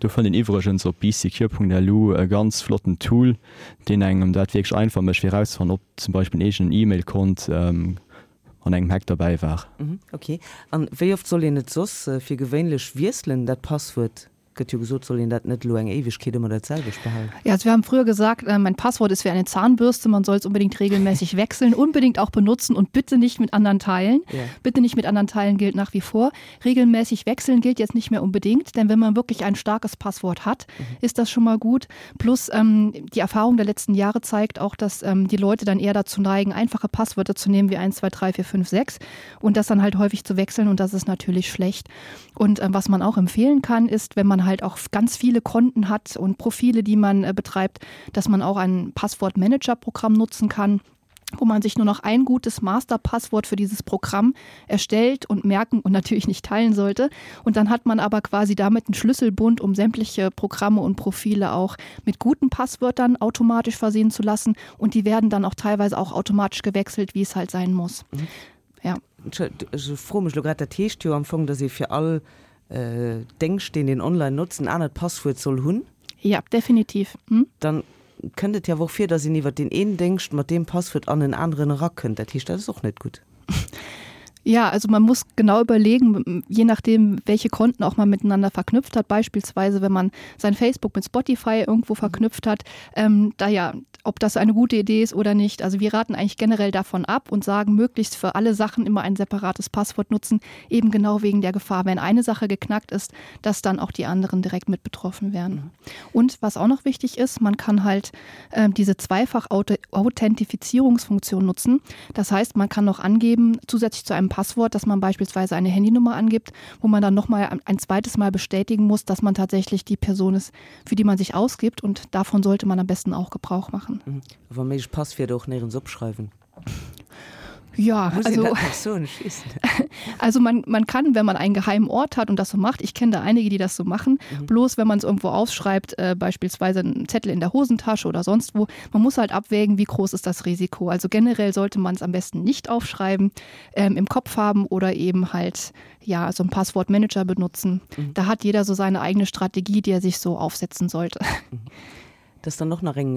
Do fënnt een iwwregens op besecure.lu e ganz flotten Tool, deen engem dat wierklech einfach mécht, fir erauszefannen, ob zum Beispill en eegenen E-Mail-Kont an engem Hack derbäi war. Ok. An wéi oft soll een et soss fir gewéinlech wiesselen, dat Passwuert? Gëtt jo gesot, soll een dat net elo eng Éiwegkeet ëmmer dat selwecht behalen. Ja, also wir haben früher gesagt, äh, mein Passwort ist wie eine Zahnbürste, man soll es unbedingt regelmäßig wechseln, unbedingt auch benutzen und bitte nicht mit anderen teilen. Ja. Bitte nicht mit anderen teilen gilt nach wie vor. Regelmäßig wechseln gilt jetzt nicht mehr unbedingt, denn wenn man wirklich ein starkes Passwort hat, mhm. ist das schon mal gut. Plus ähm, die Erfahrung der letzten Jahre zeigt auch, dass ähm, die Leute dann eher dazu neigen, einfache Passwörter zu nehmen wie 1, 2, 3, 4, 5, 6 und das dann halt häufig zu wechseln und das ist natürlich schlecht. Und ähm, was man auch empfehlen kann, ist, wenn man halt auch ganz viele Konten hat und Profile, die man äh, betreibt, dass man auch ein Passwortmanager-Programm nutzen kann wo man sich nur noch ein gutes Masterpasswort für dieses Programm erstellt und merken und natürlich nicht teilen sollte. Und dann hat man aber quasi damit einen Schlüsselbund, um sämtliche Programme und Profile auch mit guten Passwörtern automatisch versehen zu lassen. Und die werden dann auch teilweise auch automatisch gewechselt, wie es halt sein muss. Mhm. Ja. Ech froe mech elo grad, dat heescht jo am Fong, datt ee fir all Déngscht, deen een online notzt, en anert Passwuert soll hunn? Ja, definitiv. Dann kënnt et jo awer och vir, datt een iwwer deen een Déngscht mat deem Passwuert an en aneren erakënnt. Dat heescht, dat ass och net gutt. Ja, also man muss genau überlegen, je nachdem, welche Konten auch man miteinander verknüpft hat, beispielsweise wenn man sein Facebook mit Spotify irgendwo verknüpft hat, ähm, da ja. ob das eine gute Idee ist oder nicht. Also wir raten eigentlich generell davon ab und sagen, möglichst für alle Sachen immer ein separates Passwort nutzen, eben genau wegen der Gefahr, wenn eine Sache geknackt ist, dass dann auch die anderen direkt mit betroffen werden. Mhm. Und was auch noch wichtig ist, man kann halt äh, diese zweifach Authentifizierungsfunktion nutzen. Das heißt, man kann noch angeben, zusätzlich zu einem Passwort, dass man beispielsweise eine Handynummer angibt, wo man dann noch mal ein zweites Mal bestätigen muss, dass man tatsächlich die Person ist, für die man sich ausgibt und davon sollte man am besten auch Gebrauch machen. Mhm. Wa méiglech Passwierder och néierens opschreiwen. Ja, also, also man, man kann, wenn man einen geheimen Ort hat und das so macht, ich kenne da einige, die das so machen, mhm. bloß wenn man es irgendwo aufschreibt, äh, beispielsweise einen Zettel in der Hosentasche oder sonst wo, man muss halt abwägen, wie groß ist das Risiko. Also generell sollte man es am besten nicht aufschreiben, ähm, im Kopf haben oder eben halt ja, so einen Passwortmanager benutzen. Mhm. Da hat jeder so seine eigene Strategie, die er sich so aufsetzen sollte. Mhm. Dat ass dann och nach eng,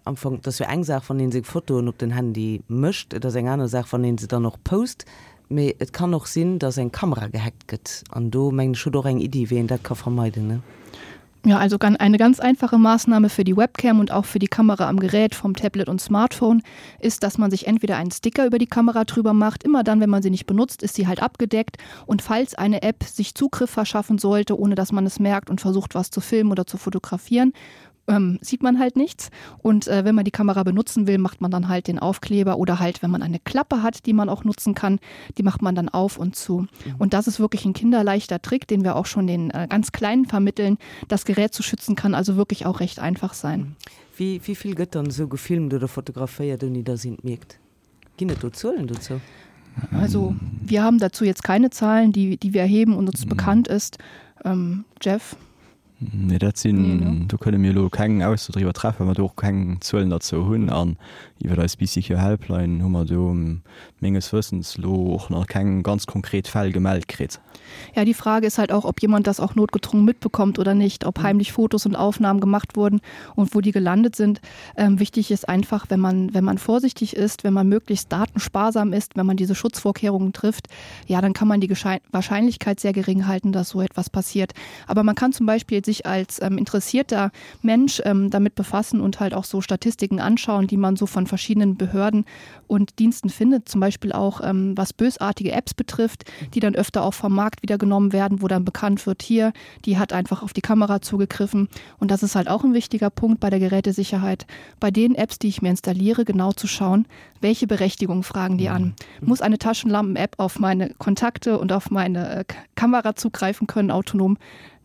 am Fong, dat ass jo eng Saach, wann ee seng Fotoen op den Handy mécht, et ass eng aner Saach, wann ee se dann och post. Mee et kann och sinn, datt eng Kamera gehackt gëtt. An do, mengen ech, hutt Der och eng Iddi, wéi een dat ka vermeiden, ne? Ja, also eine ganz einfache Maßnahme für die Webcam und auch für die Kamera am Gerät vom Tablet und Smartphone ist, dass man sich entweder einen Sticker über die Kamera drüber macht. Immer dann, wenn man sie nicht benutzt, ist sie halt abgedeckt. Und falls eine App sich Zugriff verschaffen sollte, ohne dass man es merkt und versucht, was zu filmen oder zu fotografieren, ähm, sieht man halt nichts. Und äh, wenn man die Kamera benutzen will, macht man dann halt den Aufkleber oder halt, wenn man eine Klappe hat, die man auch nutzen kann, die macht man dann auf und zu. Mhm. Und das ist wirklich ein kinderleichter Trick, den wir auch schon den äh, ganz Kleinen vermitteln. Das Gerät zu schützen kann also wirklich auch recht einfach sein. Mhm. Wéi wéi vill gëtt dann esou gefilmt oder fotograféiert ouni dass een et mierkt? Ginn et do Zuelen dozou? Also wir haben dazu jetzt keine Zahlen, die, die wir erheben und uns mhm. bekannt ist. Ähm, Jeff? Nee, dat sinn, do kënne mir elo keng Ausso driwwer treffen, well mer do och keng Zuelen derzou hunn. An iwwer eis BCQ Helpline hu mer do menges Wëssens elo och nach keng ganz konkret Fäll gemellt kritt. Ja, die Frage ist halt auch, ob jemand das auch notgedrungen mitbekommt oder nicht, ob heimlich Fotos und Aufnahmen gemacht wurden und wo die gelandet sind. Ähm, wichtig ist einfach, wenn man, wenn man vorsichtig ist, wenn man möglichst datensparsam ist, wenn man diese Schutzvorkehrungen trifft, ja, dann kann man die Wahrscheinlichkeit sehr gering halten, dass so etwas passiert. Aber man kann zum Beispiel sich als ähm, interessierter Mensch ähm, damit befassen und halt auch so Statistiken anschauen, die man so von verschiedenen Behörden und Diensten findet, zum Beispiel auch ähm, was bösartige Apps betrifft, die dann öfter auch vom Markt wieder genommen werden, wo dann bekannt wird, hier, die hat einfach auf die Kamera zugegriffen. Und das ist halt auch ein wichtiger Punkt bei der Gerätesicherheit, bei den Apps, die ich mir installiere, genau zu schauen, welche Berechtigung fragen die an. Mhm. Muss eine Taschenlampen-App auf meine Kontakte und auf meine äh, Kamera zugreifen können, autonom?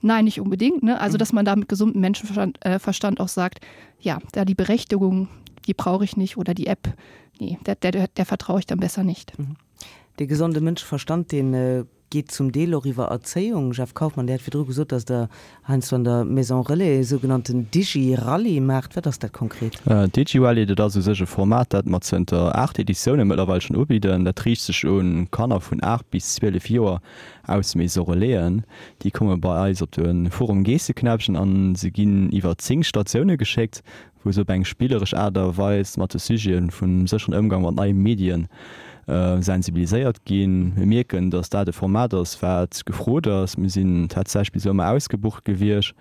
Nein, nicht unbedingt. Ne? Also, mhm. dass man da mit gesundem Menschenverstand äh, Verstand auch sagt, ja, da die Berechtigung, die brauche ich nicht oder die App, nee, der, der, der, der vertraue ich dann besser nicht. Mhm. De gesonde Mënscheverstand, deen äh, geet zum Deel och iwwer Erzéiung. Jeff Kaufmann, Dir hat virdru gesot, datt Der heiansdo an der Maison Relais e sougenannten Digi-Rallye maacht. Wat ass dat konkret? Digi-Rallye, dat ass u sech e Format, dat mer zënter 8 Editioune mëttlerweil schonn ubidden. Dat riicht sech u Kanner vun 8 bis 12 Joer aus Maison Relaisen. Déi komme bei eis op de Forum Geesseknäppchen a se ginn iwwer 10 Statioune geschéckt, wou se op eng spilleresch Aart a Weis mat de Sujete vum sécheren Ëmgang mat neie Medien sensibiliséiert ginn. Mir mierken, datt dat e Format ass, wat gefrot ass. Mir sinn tatsächlech bis elo ëmmer ausgebucht gewiescht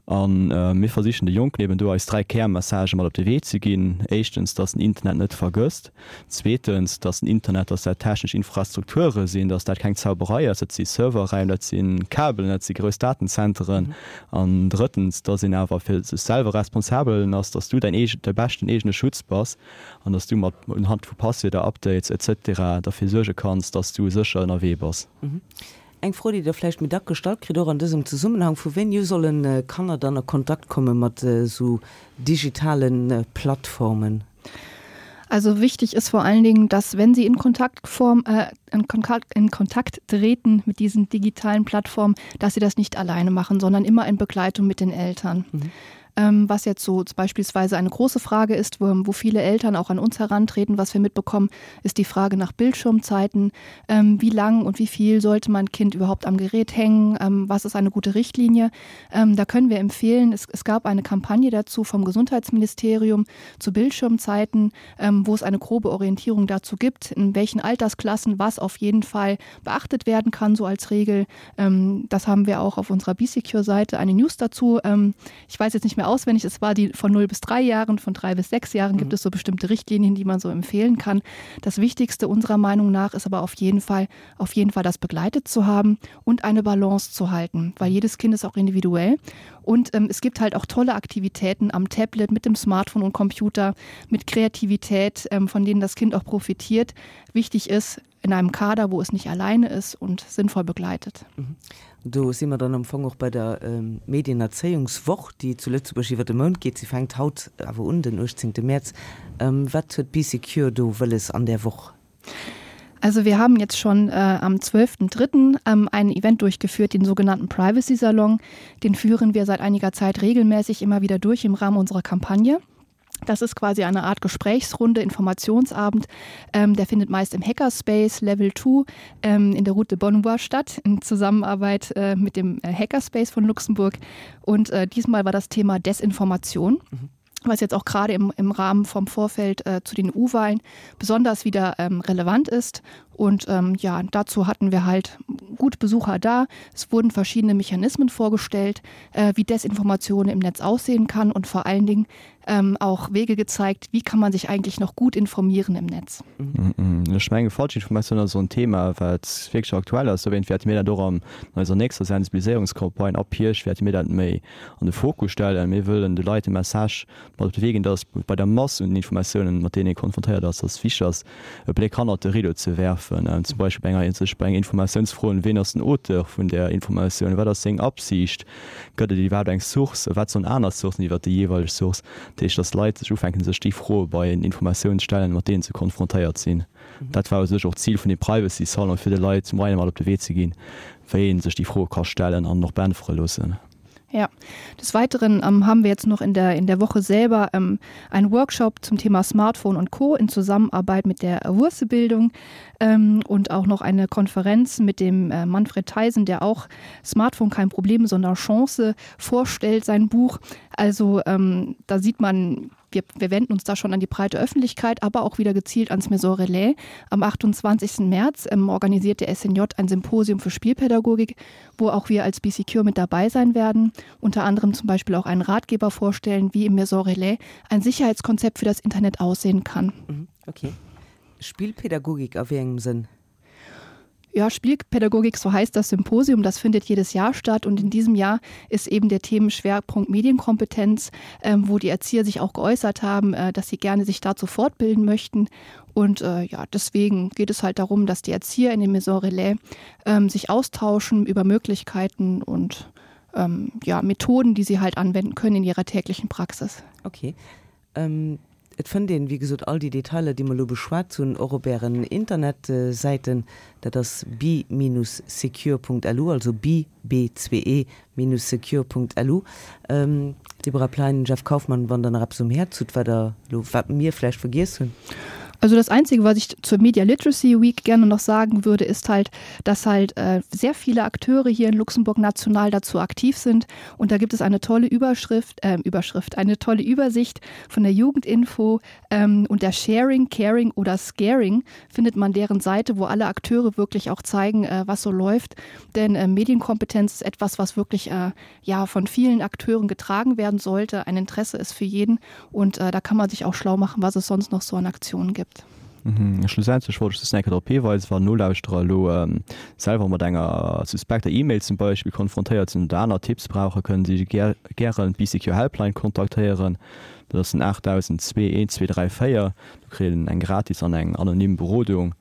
a mir versichen de Jonken eben do eis 3 Kärmessagë mat op de Wee ze ginn. Éischtens, datt den Internet net vergësst. Zweetens, dass den Internet, dass dat technesch Infrastrukture sinn, dass dat keng Zauberei ass, dat si Serverräim, dat si Kabelen, dat si grouss Datenzenteren. An drëttens, dass een awer fir sech selwer responsabel ass, dass du däin eege, däi beschten eegene Schutz bass an dass du mat unhand vu Passwierder, Updates et cetera derfir suerge kanns, dass du sécher ënnerwee bass. Eng Fro, déi Der vläicht méi dack gestallt kritt, och an dësem Zesummenhang, Vu wéini u solle Kanner dann a Kontakt komme mat esou digitale Plattformen? Also wichtig ist vor allen Dingen, dass wenn sie in Kontaktform äh, in, Kontakt, in Kontakt treten mit diesen digitalen Plattformen, dass sie das nicht alleine machen, sondern immer in Begleitung mit den Eltern. Mhm. Ähm, was jetzt so beispielsweise eine große Frage ist, wo, wo viele Eltern auch an uns herantreten, was wir mitbekommen, ist die Frage nach Bildschirmzeiten. Ähm, wie lang und wie viel sollte mein Kind überhaupt am Gerät hängen? Ähm, was ist eine gute Richtlinie? Ähm, da können wir empfehlen, es, es gab eine Kampagne dazu vom Gesundheitsministerium zu Bildschirmzeiten, ähm, wo es eine grobe Orientierung dazu gibt, in welchen Altersklassen was auf jeden Fall beachtet werden kann, so als Regel. Ähm, das haben wir auch auf unserer BSecure-Seite eine News dazu. Ähm, ich weiß jetzt nicht mehr mehr. auswendig. Es war die von 0 bis 3 Jahren, von 3 bis 6 Jahren mhm. gibt es so bestimmte Richtlinien, die man so empfehlen kann. Das Wichtigste unserer Meinung nach ist aber auf jeden Fall, auf jeden Fall das begleitet zu haben und eine Balance zu halten, weil jedes Kind ist auch individuell. Und ähm, es gibt halt auch tolle Aktivitäten am Tablet, mit dem Smartphone und Computer, mit Kreativität, ähm, von denen das Kind auch profitiert. Wichtig ist, in einem Kader, wo es nicht alleine ist und sinnvoll begleitet. Mhm. Do si mer dann am Fong och bei der Medienerzéiungswoch, déi zu Lëtzebuerg iwwer de Mount geet. Si fänkt haut awer un, den 18. Mäerz. Wat huet Bee Secure do wëlles an där Woch? Also wir haben jetzt schon äh, am 12.3. Ähm, einen Event durchgeführt, den sogenannten Privacy Salon. Den führen wir seit einiger Zeit regelmäßig immer wieder durch im Rahmen unserer Kampagne. Das ist quasi eine Art Gesprächsrunde, Informationsabend. Ähm, der findet meist im Hackerspace Level 2 ähm, in der Route de Bonnevoie statt, in Zusammenarbeit äh, mit dem äh, Hackerspace von Luxemburg. Und äh, diesmal war das Thema Desinformation. Mhm was jetzt auch gerade im, im Rahmen vom Vorfeld äh, zu den U-Wahlen besonders wieder ähm, relevant ist. Und ähm, ja, dazu hatten wir halt gut Besucher da. Es wurden verschiedene Mechanismen vorgestellt, äh, wie Desinformation im Netz aussehen kann und vor allen Dingen ähm, auch Wege gezeigt, wie kann man sich eigentlich noch gut informieren im Netz. Ech menge Falschinformatioun ass esou en Thema, wat wierklech aktuell ass. Dowéint wäerte mir dat och an eiser nächster Sensibiliséierungscampagne ab Hierscht wäerte mir dat méi an de Fokus stellen. Mir wëllen de Leit de Message mat op de Wee ginn, dass bei der Mass un den Informatiounen, mat deenen ee konfrontéiert ass, dass et wichteg ass, e Bléck hannert de Rideau ze werfen. Zum Beispill bei enger, sech bei enger Informatioun ze froen, Ween ass den Auteur vun där Informatioun? Wat ass seng Absicht? Gëtt et iwwerhaapt eng Source? Wat soen aner Sourcen iwwert déi jeeweileg Source? Dat heescht, dass Leit sech ufänken, sech déi Froe bei Informatiounen ze stellen, mat deenen se konfrontéiert sinn. Dat war u sech och d'Zil vun deem Privacy Salon, fir de Leit Moyene mat op de Wee ze ginn, wéi ee sech déi Froe ka stellen an och beäntwere loossen. Ja, des Weiteren ähm, haben wir jetzt noch in der, in der Woche selber ähm, einen Workshop zum Thema Smartphone und Co. in Zusammenarbeit mit der Wursebildung ähm, und auch noch eine Konferenz mit dem äh, Manfred Theisen, der auch Smartphone kein Problem, sondern Chance vorstellt, sein Buch. Also ähm, da sieht man, wir, wir wenden uns da schon an die breite Öffentlichkeit, aber auch wieder gezielt ans Maison Relais. Am 28. März ähm, organisiert der SNJ ein Symposium für Spielpädagogik, wo auch wir als BCQ mit dabei sein werden. Unter anderem zum Beispiel auch einen Ratgeber vorstellen, wie im Maison Relais ein Sicherheitskonzept für das Internet aussehen kann. Mhm, okay. Spielpädagogik a wéi engem Sënn? Ja, Spielpädagogik, so heißt das Symposium, das findet jedes Jahr statt und in diesem Jahr ist eben der Themenschwerpunkt Medienkompetenz, ähm, wo die Erzieher sich auch geäußert haben, äh, dass sie gerne sich dazu fortbilden möchten. Und äh, ja, deswegen geht es halt darum, dass die Erzieher in dem Maison Relais ähm, sich austauschen über Möglichkeiten und ähm, ja, Methoden, die sie halt anwenden können in ihrer täglichen Praxis. Okay. Et fënnt een, wéi gesot, all déi Detailer, déi mer elo beschwat hunn, och op Ären Internetsäiten. Dat ass be-secure.lu, also be, b-e, minus secure.lu. Deborah Plein, Jeff Kaufmann, wann Der nach eppes um Häerz hutt, wat Der elo, wat mir vläicht vergiess hunn. Also das Einzige, was ich zur Media Literacy Week gerne noch sagen würde, ist halt, dass halt äh, sehr viele Akteure hier in Luxemburg national dazu aktiv sind. Und da gibt es eine tolle Überschrift, äh, Überschrift, eine tolle Übersicht von der Jugendinfo ähm, und der Sharing, Caring oder Scaring findet man deren Seite, wo alle Akteure wirklich auch zeigen, äh, was so läuft. Denn äh, Medienkompetenz ist etwas, was wirklich äh, ja, von vielen Akteuren getragen werden sollte. Ein Interesse ist für jeden und äh, da kann man sich auch schlau machen, was es sonst noch so an Aktionen gibt. Mhm. Schlussendlech wollt ech just nach eng Kéier drop hiweisen, wann Nolauschterer elo selwer mat enger suspekter E-Mail zum Beispill konfrontéiert sinn oder aner Tipps brauchen, kënnen si gären d'BeeSecure Helpline kontaktéieren. Dat ass den 8002 1234. Do kritt een eng gratis an eng anonym Berodung,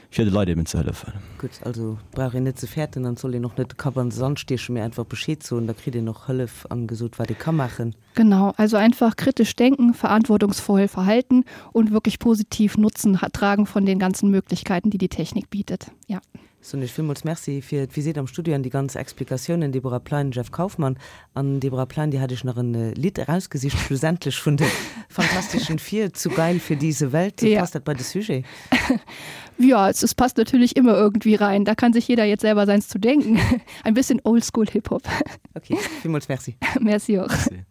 fir de Leit eben ze hëllefen. Gutt, also et brauch een net ze fäerten an et soll een och net de Kapp an de Sand stiechen, mee einfach Bescheed soen, da kritt een och Hëllef an gesot, wat ee ka maachen. Genau, also einfach kritisch denken, verantwortungsvoll verhalten und wirklich positiv Nutzen tragen von den ganzen Möglichkeiten, die die Technik bietet. Ja. Soen Iech villmools Merci fir d'Visitt am Studio an déi ganz Explikatiounen, Deborah Plein, Jeff Kaufmann. An Deborah Plein, dir hat Iech nach en Lidd erausgesicht, schlussendlech vun de Fantastischen Vier, Zu geil für diese Welt. Ja. Passt dat bei de Sujet? Ja, es, es passt natürlich immer irgendwie rein. Da kann sich jeder jetzt selber seins zu denken. Ein bisschen Oldschool Hip-Hop. Okay, villmools Merci. Merci och. Merci.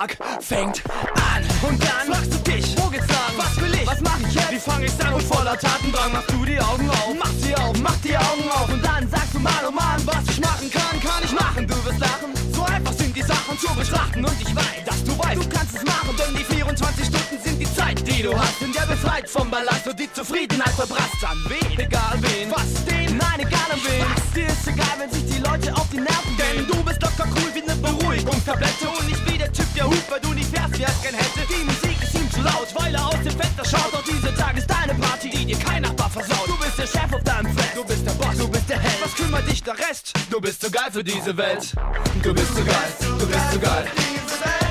Tag fängt an. Und dann fragst du dich, wo geht's lang? Was will ich? Was mach ich jetzt? Wie fang ich's an? Und voller Tatendrang machst du die Augen auf. Mach sie auf, mach die Augen auf. Und dann sagst du, Mann, oh Mann, was ich machen kann, kann ich machen. Du wirst lachen. So einfach sind die Sachen zu betrachten. Und ich weiß, dass du weißt, du kannst es machen. Denn die 24 Stunden sind die Zeit, die du hast. In der befreit vom Ballast und die Zufriedenheit verbrasst. An wen? Egal wen. Was den? Nein, egal an wen. Was? Dir ist egal, wenn sich die Leute auf die Nerven gehen. Denn du bist locker cool wie ne Beruhigungstablette. Und nicht wie der Typ, der hupt, weil du nicht fährst, wie er's gern hätte. Die Musik ist ihm zu laut, weil er aus dem Fenster schaut. Doch dieser Tag ist deine Party, die dir kein Nachbar versaut. Du bist der Chef auf deinem Fest, du bist der Boss, du bist der Held. Was kümmert dich der Rest? Du bist zu geil für diese Welt. Du bist zu geil, du bist zu geil.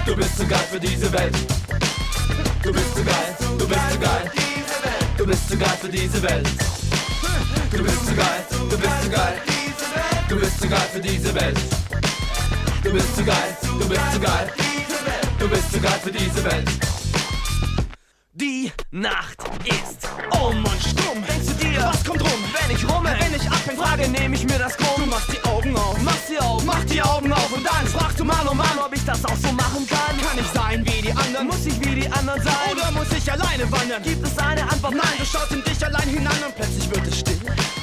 Du bist zu geil für diese Welt. Du bist zu geil, du bist zu geil. Du bist zu geil für diese Welt. Du bist zu geil, du bist zu geil. Du bist zu geil für diese Welt. Du bist zu geil, du bist zu geil. Du bist zu geil für diese Welt. Die Nacht ist um und stumm. Denkst du dir, was kommt rum, wenn ich rumme, wenn ich abhäng, frage, nehme ich mir das krumm. Du machst die Augen auf, mach sie auf, mach die Augen auf und dann fragst du Mann, oh Mann, ob ich das auch so machen kann. Kann ich sein wie die anderen? Muss ich wie die anderen sein? Oder muss ich alleine wandern? Gibt es eine Antwort? Nein, du schaust in dich allein hinein und plötzlich wird es still.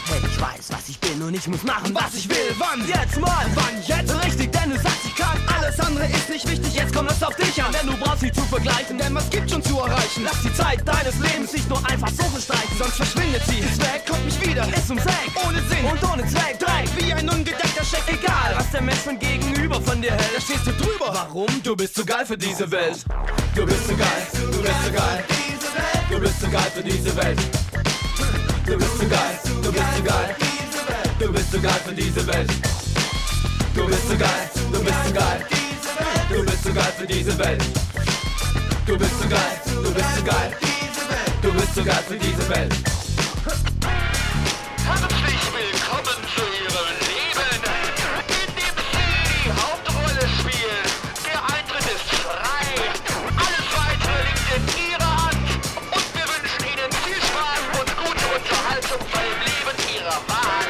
Hey, ich weiß, was ich bin und ich muss machen, was ich will. Wann? Jetzt mal! Wann jetzt? Richtig, denn du sagst, ich kann. Alles andere ist nicht wichtig, jetzt kommt es auf dich an. Denn du brauchst dich zu vergleichen, denn was gibt schon zu erreichen? Lass die Zeit deines Lebens nicht nur einfach so verstreichen, sonst verschwindet sie. Ist weg, kommt nicht wieder, ist ums Eck, ohne Sinn und ohne Zweck. Dreck, wie ein ungedeckter Scheck, egal, was der Mensch von gegenüber von dir hält. Da stehst du drüber. Warum? Du bist zu geil für diese Welt. Du bist zu geil, du bist zu geil. Du bist zu geil für diese Welt. Du bist zu geil, du bist zu geil. Du bist zu geil für diese Welt. Du bist zu geil, du bist zu geil. Du bist zu geil für diese Welt. Du bist zu geil, du bist zu geil. Du bist zu geil für diese Welt. Herzlich willkommen zu Ihrem Leben, in dem Sie die Hauptrolle spielen. Der Eintritt ist frei. Alles weitere liegt in Ihrer Hand. Und wir wünschen Ihnen viel Spaß und gute Unterhaltung beim Leben Ihrer Wahl.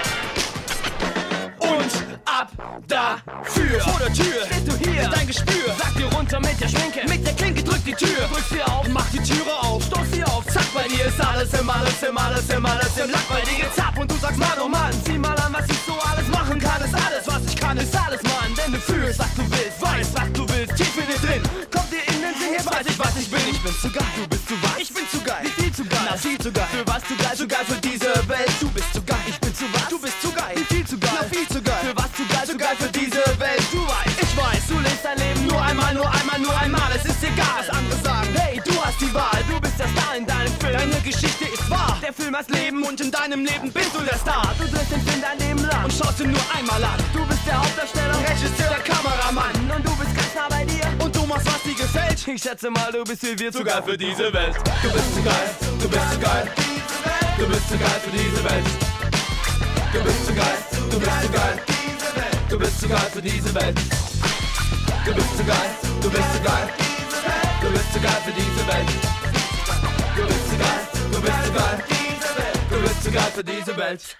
Und ab dafür. Vor der Tür stehst du hier. Dein Gespür sagt dir runter mit der Schminke. Mit der Klinke drück die Tür. Drück sie auf, mach die Türe auf. Stoß sie auf, zack, bei dir ist alles im, alles im, alles im, alles im Lack. Bei dir geht's ab und du sagst, Mann, oh Mann, sieh mal an, was ich so alles machen kann. Ist alles, was ich kann, ist alles, Mann. Denn du fühlst, was du willst, weißt, was du willst, tief in dir drin. Kommt dir in den Sinn, jetzt weiß ich, was ich bin. Ich bin zu geil, du bist zu was? Ich bin zu geil, wie viel zu geil? Na, viel zu geil. Für was zu geil, zu geil für diese Welt. Du bist zu geil, ich bin zu was? Du bist zu geil, wie viel zu geil? Na, viel zu geil. Für was zu geil, zu geil für diese Welt. Du weißt, ich weiß, du lebst dein Leben nur einmal, nur einmal, nur einmal. Es ist egal, was andere sagen. Hey, du hast die Wahl, du bist der Star in deinem Film. Deine Geschichte ist wahr. Der Film heißt Leben und in deinem Leben bist du der Star. Du drehst den Film dein Leben lang und schaust ihn nur einmal an. Du bist der Hauptdarsteller, Regisseur, der Kameramann. Und du bist ganz nah bei dir und du machst, was dir gefällt. Ich schätze mal, du bist wie wir zu geil für diese Welt. Du bist zu geil, du bist zu geil. Du bist zu geil für diese Welt. Du bist zu geil, du bist zu geil. Du bist zu geil für diese Welt. Du bist zu geil, du bist zu geil. Du bist zu geil für diese Welt. Du bist zu geil, du bist zu geil. Du bist zu geil für diese Welt.